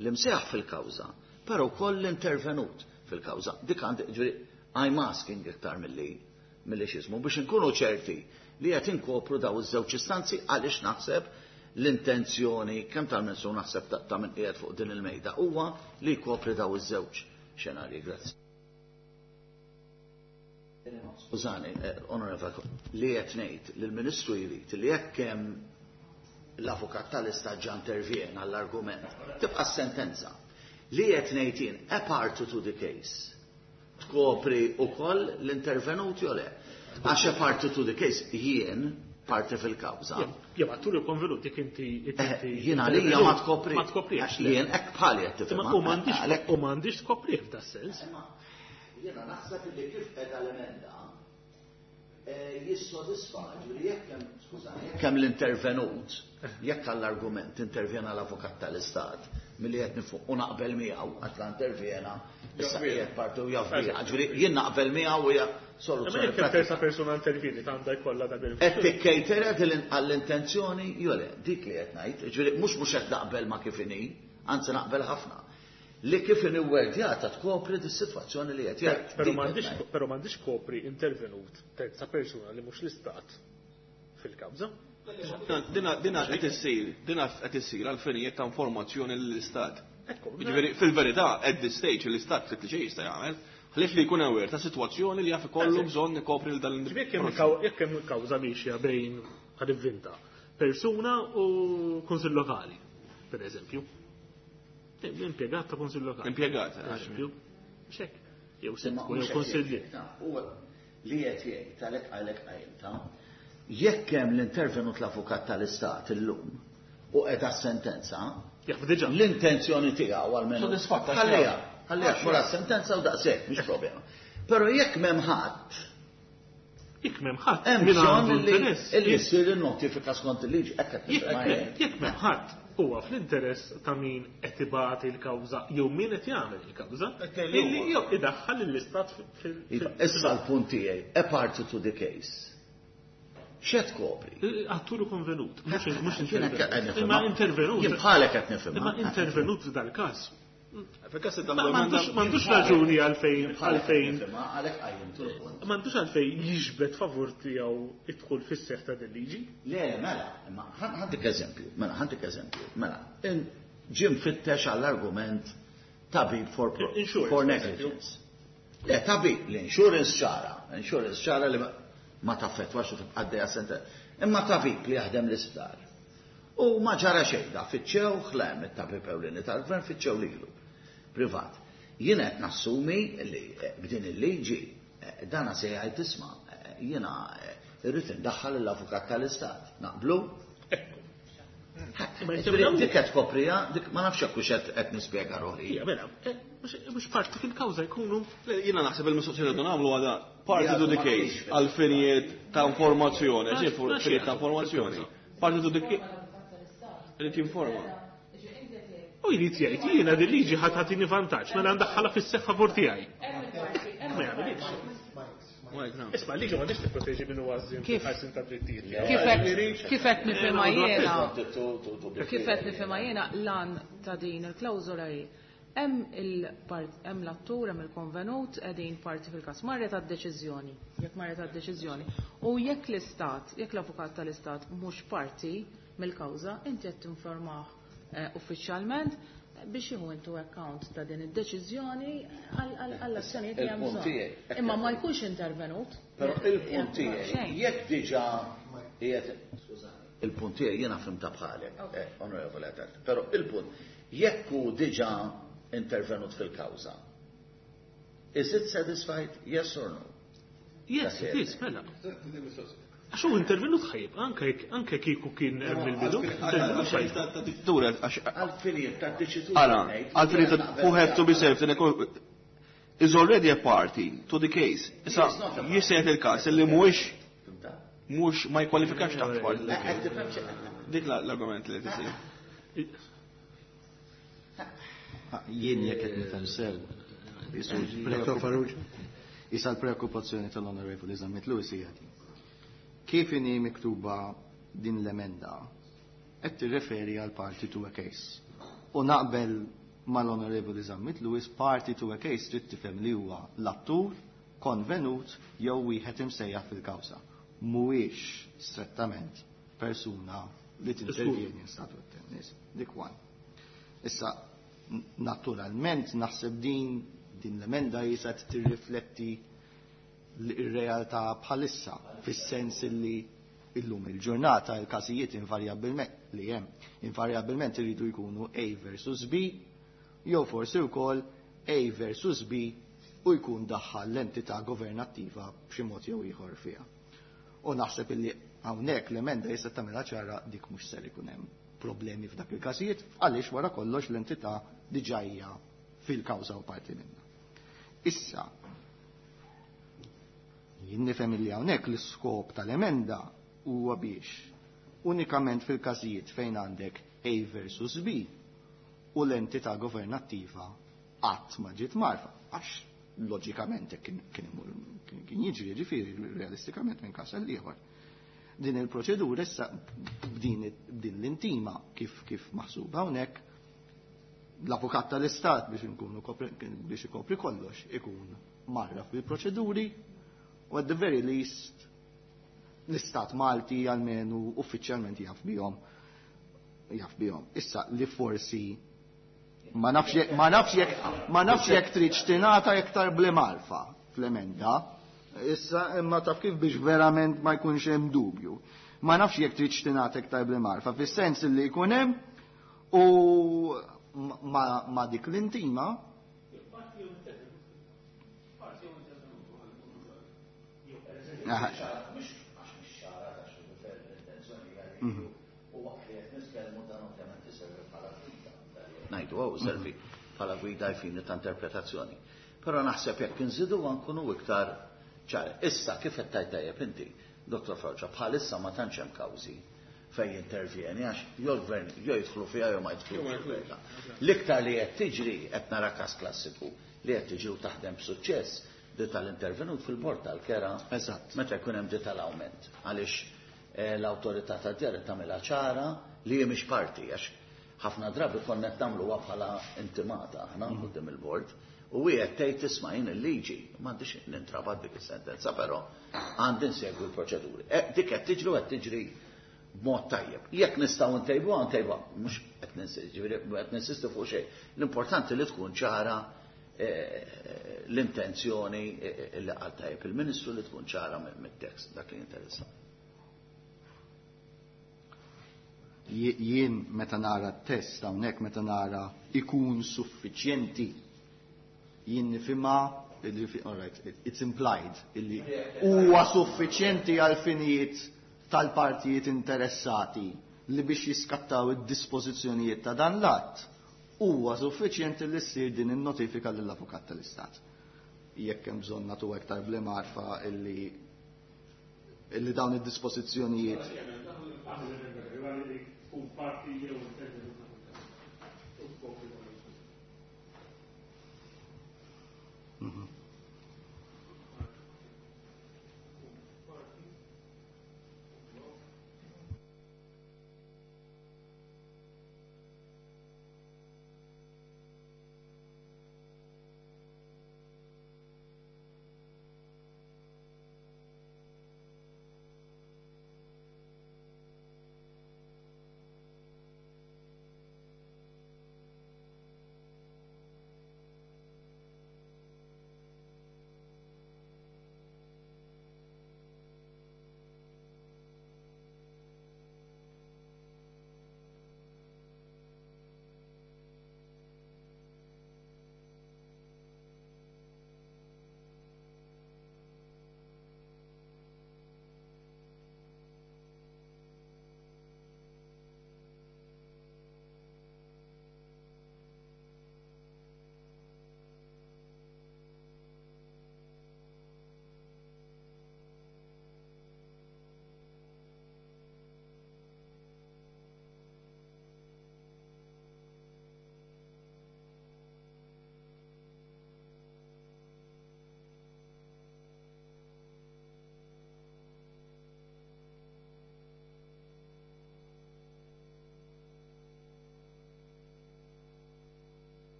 l-imsejjaħ fil-kawża, però wkoll l-intervenut fil-kawża. Dik għandi ġifieri I'm asking iktar milli x'ismu biex inkunu ċerti li qed inkopru daw iż-żewġ istanzi għaliex naħseb l-intenzjoni kemm tal-Ministru naħseb ta' min qiegħed fuq din il-mejda huwa li jkopri daw iż-żewġ xenarji. Grazzi. Skużani, onorevole, li qed ngħid li l-Ministru jrid li jekk hemm l-avukat tal-Istat ġa intervjena għall-argument, tibqa' s-sentenza. Li qed ngħid jien a party to the case tkopri wkoll l-intervenuti jew le? Għax a party to the case jien parti fil-kawża. Jew attur konvenut jekk inti Jien għalija ma tkopri. Ma tkoprix. Jien hekk bħali qed tifhem. U m'għandix u m'għandix tkoprih f'da sens. Jiena naħseb li kif qiegħda l-emenda jissodisfa ġifieri jekk hemm skużani, jekk hemm l-intervenut, jekk għall-argument intervjena l-avukat tal-Istat milli qed nifuq u naqbel miegħu għax la intervjena issa qiegħed parti u jaf biha. Ġifieri jien naqbel miegħu hija soluzzjoni. Jekk terza persuna intervjeni għandha jkollha dak il Qed tikkejtera għall-intenzjoni jew le, dik li qed ngħid, ġifieri mhux qed naqbel ma kif inhi, anzi naqbel ħafna. Li kif inhi wordjata tkopri dis-sitwazzjoni li qed jgħid. Però m'għandix però m'għandix kopri intervenut terza persuna li mhux l-istat fil-kawża. Dina qed issir, dina qed issir għal finijiet ta' informazzjoni lill-istat. Jiġifieri fil-verità at this stage l-istat ftit li xejn jista' jagħmel, ħlief li jkun aware ta' sitwazzjoni li jaf ikollu bżonn ikopri l dan Jekk hemm kawża miexja bejn ħa nivvinta persuna u kunsill lokali, per eżempju. Impjegat ta' kunsill lokali. Impjegat, eżempju. Xek. Jew sindku jew kunsillier. Li qed jgħid għalhekk għalhekk qajmta, jekk hemm l-intervenut l-avukat tal-Istat illum u qiegħda sentenza, l-intenzjoni tiegħu għalmenu. Sodisfatta. Ħalliha, ħalliha wara sentenza u daqshekk, mhix problema. Però jekk m'hemm ħadd, Jekk m'hemm ħadd, hemm bżonn li jsir in-notifika skont il-liġi, hekk qed nifhem. Jekk m'hemm ħadd, huwa fl-interess ta' min qed ibati l-kawża jew min qed jagħmel il-kawża illi jew idaħħal lill-istat fil. Issa l-punt tiegħi, a party to the case. X'qed tkopri? Attur konvenut, mhux intervenut. Imma intervenut. Jien bħalek qed nifhem. Imma intervenut f'dal-każ. Fil-każ M'għandux raġuni għalfejn għalfejn Għalhekk qajjimtu l-punt. M'għandux għalfejn jiġbed favur tiegħu idħul fis-seħħ ta' din liġi. Le, mela, imma ħa ntik eżempju, mela, ħa ntik eżempju, mela, ġie mfittex għall-argument tabib Insurance, for per negligence. Le, tabib, l-insurance ċara, insurance ċara li ma taffettwax u tibqa' għaddejja sente. Imma tabib li jaħdem l-isptar. U ma ġara xejn, da fittxew, ħlem it-tabib ewlieni tal-gvern fittxew lilu. Privat. Jien qed nassumi li b'din il-liġi dana se jgħid tisma' jiena irrid indaħħal l-avukat tal-istat. Naqblu? Ma jsemmew- Dik qed koprija, dik ma nafx jekk hux qed nispjega ruħi. Ija, mela, mhux parti fil-kawża jkunu Jiena naħseb il-mistoqsija li nagħmlu għadha party to the case għal finijiet ta' informazzjoni, ġi finijiet ta' informazzjoni. Party to the case. Irid jinforma. U jrid jgħid jiena din liġi ħadd ħatini vantaġġ, mela ndaħħalha fis-seħħ favur tiegħi. Ma jagħmilx. Isma' liġi m'għandix tipproteġi minn huwa għażżien Kif? fil-ħarsin ta' drittijiet. Kif qed nifhimha jiena lan ta' din il-klawżola hi hemm il-part hemm l-attur, hemm il-konvenut qegħdin parti fil-każ marret għad-deċiżjoni, jekk marret għad-deċiżjoni. U jekk l-istat, jekk l-avukat tal-istat mhux parti mill-kawża, inti qed tinformah uffiċjalment biex jieħu into account ta' din id-deċiżjoni għall-azzjonijiet li hemm Il-punt bżonn. tiegħi. Imma ma jkunx intervenut. Però il-punt tiegħi, Xejn. jekk diġà qiegħed skużani, il-punt tiegħi jiena fhimta bħalek, onorevole Attard, però il-punt jekk hu diġà intervenut fil-kawża, is it satisfied? Yes or no? Yes, it is, mela. Għax hu intervenut ħajib, anke kieku kien hemm il-bidu. Intervenut ħajib. Dura, għax Għal-finijiet ta' deċiżjoni. Ara, għal-finijiet who have to be served in a court is already a party to the case. Issa, He is not a party. jisejt il-kas li mhuwiex mhux ma jkwalifikax taħt party to the Qed case. tifhem xi- Dik l-argument li tisir. Jien jekk qed nifhem sew. Dr. Farrugia. Issa l-preokkupazzjoni tal-Onorevoli Zammit Lewis hija din. Kif inhi miktuba din l-emenda qed tirreferi għal party to a case. U naqbel mal-Onorevoli Zammit Lewis party to a case trid tifhem li huwa l-attur, konvenut jew wieħed imsejjaħ fil-kawża. Mhuwiex strettament persuna li tintervjeni in statu tennis. Dik one. Issa, naturalment, naħseb din l-emenda jisa tirrifletti l-realtà bħalissa, fis-sens li illum il-ġurnata il-każijiet invarjabilment li hemm invarjabilment iridu jkunu A versus B, jew forsi wkoll A versus B u jkun daħħal l-entità governattiva b'xi mod jew ieħor fiha. U naħseb illi hawnhekk l-emenda jista' tagħmilha ċara dik mhux ser ikun hemm problemi f'dak il-każijiet għaliex wara kollox l-entità diġà hija fil-kawża u parti minnha. Issa, jien nifhem illi hawnhekk l-iskop tal-emenda huwa biex unikament fil-każijiet fejn għandek A versus B u l-entità governattiva qatt ma ġiet marfa, għax loġikament hekk kien jiġri ġifieri realistikament minn każ għal ieħor. Din il-proċedura issa b'din l-intima kif maħsuba hawnhekk l-avukat tal-istat biex inkunu biex ikopri kollox ikun marraf bil-proċeduri u at the very least l-istat Malti almenu uffiċjalment jaf bihom. Jaf bihom. Issa li forsi ma nafx jekk trid tingħata iktar bl-marfa fl-emenda. Issa imma taf kif biex verament ma jkunx hemm dubju. Ma nafx jekk trid tingħata iktar bl-marfa fis-sens li jkun hemm u ma dik l-intima. Aha. U waqt li qed nitkellmu dan ovvjament iservi bħala gwida. Ngħidu hawn servi bħala gwida jfini ta' interpretazzjoni. Però naħseb jekk inżidu nkunu iktar ċar. Issa kif qed tgħid tajjeb inti, Dottor Farrugia, bħalissa ma tantx hemm kawżi fejn jintervjeni għax jew l-gvern jew jidħlu fiha jew ma jidħlux. L-iktar li qed tiġri qed nara każ klassiku li qed tiġri u taħdem b'suċċess di tal-intervenut fil-bord tal-kera. Meta jkun hemm di tal-awment. Għaliex l-awtorità tad-djar tagħmilha ċara li hi mhix parti għax Ħafna drabi konna qed nagħmluha bħala intimata aħna quddiem il-bord u wieħed tgħid tisma' jien il-liġi m'għandix nintrabat dik is-sentenza, però għandi nsegwi l-proċeduri. Dik qed tiġri u qed tiġri b'mod tajjeb. Jekk nistgħu ntejbuha ntejbuha, mhux qed ġifieri qed ninsistu fuq xejn. L-importanti li tkun ċara l-intenzjoni li qal tajjeb il-Ministru li tkun ċara mit-tekst dak li jinteressa. Jien meta nara t-test hawnhekk meta nara ikun suffiċjenti jien nifhimha all right, it's implied illi huwa suffiċjenti għal finijiet tal-partijiet interessati li biex jiskattaw id-dispożizzjonijiet ta' dan l-att huwa suffiċjenti li ssir din in-notifika lill-Avukat tal-Istat. Jekk hemm bżonn nagħtu aktar bl-imgħarfa illi dawn id-dispożizzjonijiet.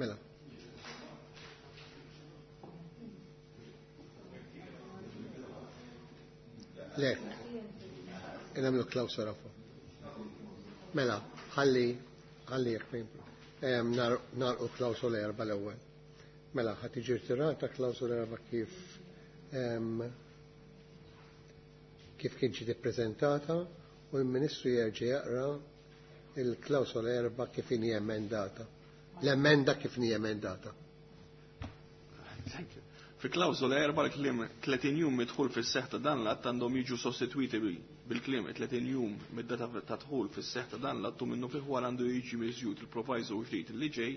Mela. Le, nagħmlu klawsola fuq. Mela, ħalli ħalli jekk narqu klawsola erba' l-ewwel. Mela, ħa tiġi rtirata klawsola erba' kif kif kien ġiet ippreżentata u l-Ministru jerġa' jaqra il-klawsola erba' kif inhi emendata. L-emenda kif inhi emendata. Thank you. Fi klawsola erba' l-kliem 30 jum mid-dħul fis-seħħ ta' dan l-att għandhom jiġu sostitwiti bil-kliem 30 jum mid-data ta' dħul fis-seħħ ta' dan l-att u minnu fih wara għandu jiġi miżjud il-proviso ġdid li ġej,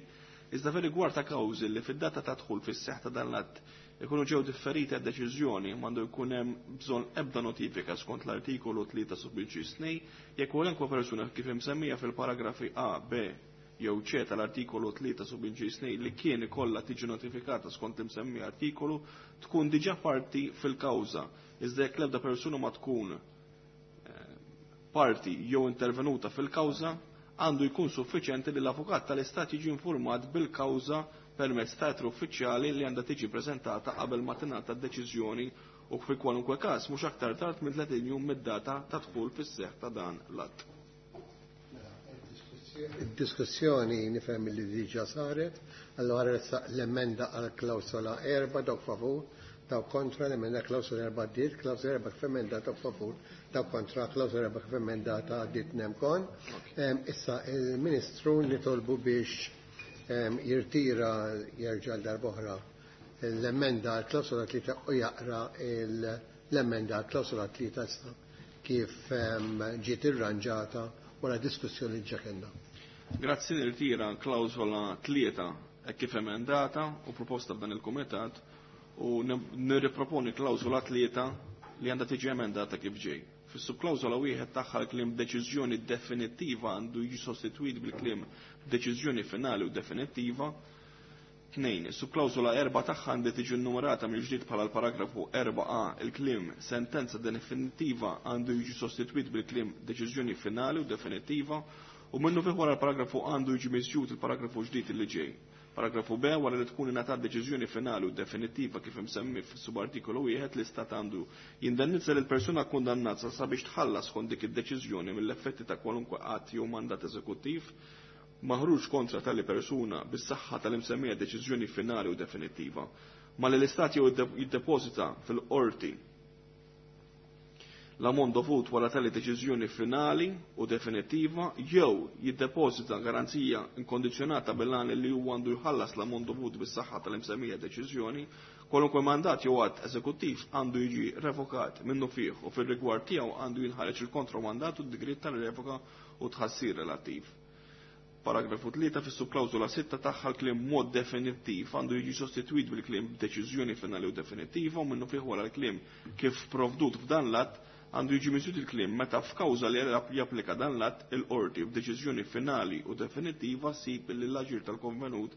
iżda fir-rigward ta' kawżi li fid-data ta' dħul fis-seħħ ta' dan l-att ikunu ġew differiti għad-deċiżjoni m'għandu jkun hemm bżonn ebda notifika skont l-artikolu 3 sub 2 jekk kwalunkwe persuna kif imsemmija fil-paragrafi A, B jew C tal-artikolu 3 sub 2 li kien ikollha tiġi notifikata skont l-imsemmi artikolu tkun diġà parti fil-kawża, iżda jekk l-ebda persuna ma tkun parti jew intervenuta fil-kawża, għandu jkun suffiċjenti li l-avukat tal-Istat jiġi informat bil-kawża permezz ta' ittra uffiċjali li għandha tiġi preżentata qabel ma tingħata d-deċiżjoni u fi kwalunkwe każ mhux aktar tard minn 30 jum mid-data ta' dħul fis-seħħ ta' dan l-att. Id-diskussjoni nifhem li diġà saret, allora ressaq l-emenda għal klawsola erba' dawk favur, dawk kontra, l-emenda klawsola erba' għaddiet, klawsola erba' kif emendata dawk favur, dawk kontra, klawsola erba' kif emendata għaddiet nemkon. Issa il-Ministru nitolbu biex jirtira jerġa' darb'oħra l-emenda għal klawsola tlieta u jaqra l-emenda għal klawsola tlieta issa kif ġiet irranġata wara diskussjoni ġa kellna. Grazzi, nirtira klawsola tlieta hekk kif emendata u proposta f'dan il-kumitat u nirriproponi klawsola tlieta li għandha tiġi emendata kif ġej. Fis-subklawżola wieħed tagħha l-kliem deċiżjoni definittiva għandu jiġi sostitwit bil-kliem deċiżjoni finali u definittiva. 2. Is-subklawżola 4 tagħha għandha tiġi nnumerata mill-ġdid bħala l-paragrafu 4a il-kliem sentenza definittiva għandu jiġi sostitwit bil-kliem deċiżjoni finali u definittiva u minnu fih wara l-paragrafu għandu jiġi miżjud il-paragrafu ġdid li ġej. Paragrafu B wara li tkun ingħatat deċiżjoni finali u definittiva kif imsemmi fis-subartikolu wieħed l-istat għandu jindennizza lil persuna kundannata sabiex tħallas skont dik id-deċiżjoni mill-effetti ta' kwalunkwe att jew mandat eżekuttiv maħruġ kontra tali persuna bis-saħħa tal-imsemmija deċiżjoni finali u definittiva. Malli l-istat jew jiddepożita fil-qorti l-ammont dovut wara tali deċiżjoni finali u definittiva jew jiddepożita garanzija inkondizzjonata bil-għan li huwa għandu jħallas l-ammont dovut bis-saħħa tal-imsemmija deċiżjoni, kwalunkwe mandat jew att eżekuttiv għandu jiġi revokat minnu fih u fir-rigward tiegħu għandu jinħareġ il-kontromandat u d-digrit tal-revoka u tħassir relattiv. Paragrafu 3 fis-subklawżola 6 tagħha l-kliem mod definittiv għandu jiġi sostitwit bil-kliem deċiżjoni finali u definittiva u minnu fih wara l-kliem kif provdut f'dan l-att għandu jiġi miżjud il-kliem meta f'kawża li japplika dan l-att il-qorti f'deċiżjoni finali u definittiva ssib li l-aġir tal-konvenut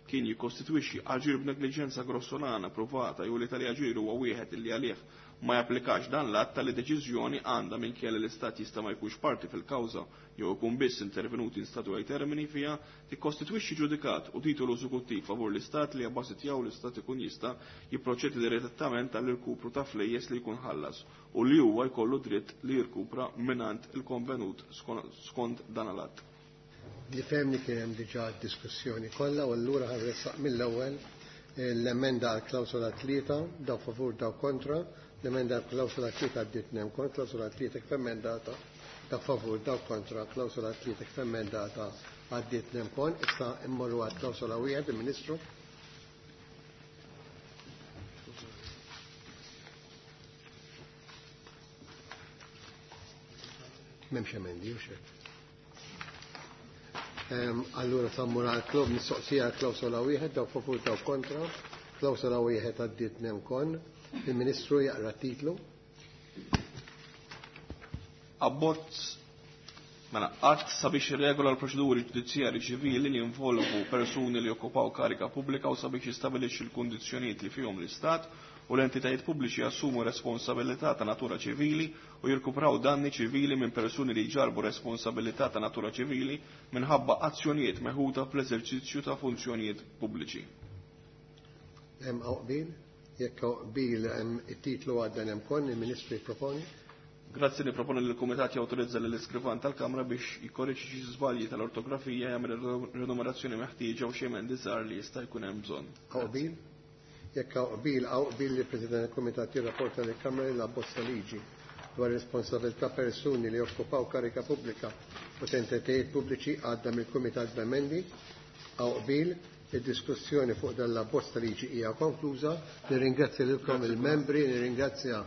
kien jikkostitwixxi aġir b'negliġenza grossolana provata jew li tali aġir huwa wieħed li għalih ma japplikax dan l-att tali deċiżjoni għandha minkejja li l-Istat jista' ma jkunx parti fil-kawża jew ikun biss intervenut in statu ai termini fiha tikkostitwixxi ġudikat u titolu eżekuttiv favur l-Istat li abbażi tiegħu l-Istat ikun jista' jipproċedi direttament għall-irkupru ta' flejjes li jkun ħallas u li huwa jkollu dritt li jirkupra mingħand il-konvenut skont dan l-att. Li femni kien hemm diġà diskussjoni kollha u allura ħarressaq mill-ewwel l-emenda għal klawsola 3, daw favur daw kontra, l-emenda għal klawsola 3 għaddiet nem kont, klawsola 3 kif emendata, daw favur daw kontra, klawsola 3 kif emendata għaddiet nem kon, issa immorru għal klawsola 1, il-Ministru. M'hemmx emendi, u xek. Allura sammur għal klub mistoqsija għal klawsola wieħed, daw favur daw kontra, klawsola wieħed għaddiet nem kon, il-Ministru jaqra titlu. Abbozz mela att sabiex irregola l-proċeduri ġudizzjarji ċivili li jinvolvu persuni li jokkupaw karika pubblika u sabiex jistabilixxi l-kundizzjonijiet li fihom l-Istat u l-entitajiet pubbliċi jassumu responsabilità ta' natura ċivili u jirkupraw danni ċivili minn persuni li jġarbu responsabilità ta' natura ċivili minħabba azzjonijiet meħuda fl-eżerċizzju ta' funzjonijiet pubbliċi. Hemm qbil, jekk qbil hemm it-titlu għadda hemm kon, il-Ministru jipproponi. Grazzi li proponi li l-Kumitat jawtorizza lill iskrivan tal-Kamra biex jikkorreġi xi żbalji tal-ortografija jagħmel ir-renumerazzjoni meħtieġa u xi emendi żgħar li jista' jkun hemm bżonn. Qbil? Jekk qbil hawn qbil li l-President tal-Kumitat jirrapporta lill-Kamra li l-abbozza liġi dwar responsabilità persuni li jokkupaw karika pubblika u entitajiet pubbliċi għadda mill-Kumitat b'emendi. Hawn qbil, id-diskussjoni fuq dan l-abbozz ta' liġi hija konkluża. Nirringrazzja lilkom il-membri, nirringrazzja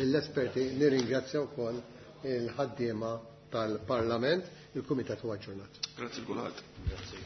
lill-esperti, nirringrazzja wkoll il-ħaddiema tal-Parlament. Il-Kumitat huwa aġġornat. Grazzi l kulħadd. Grazzi.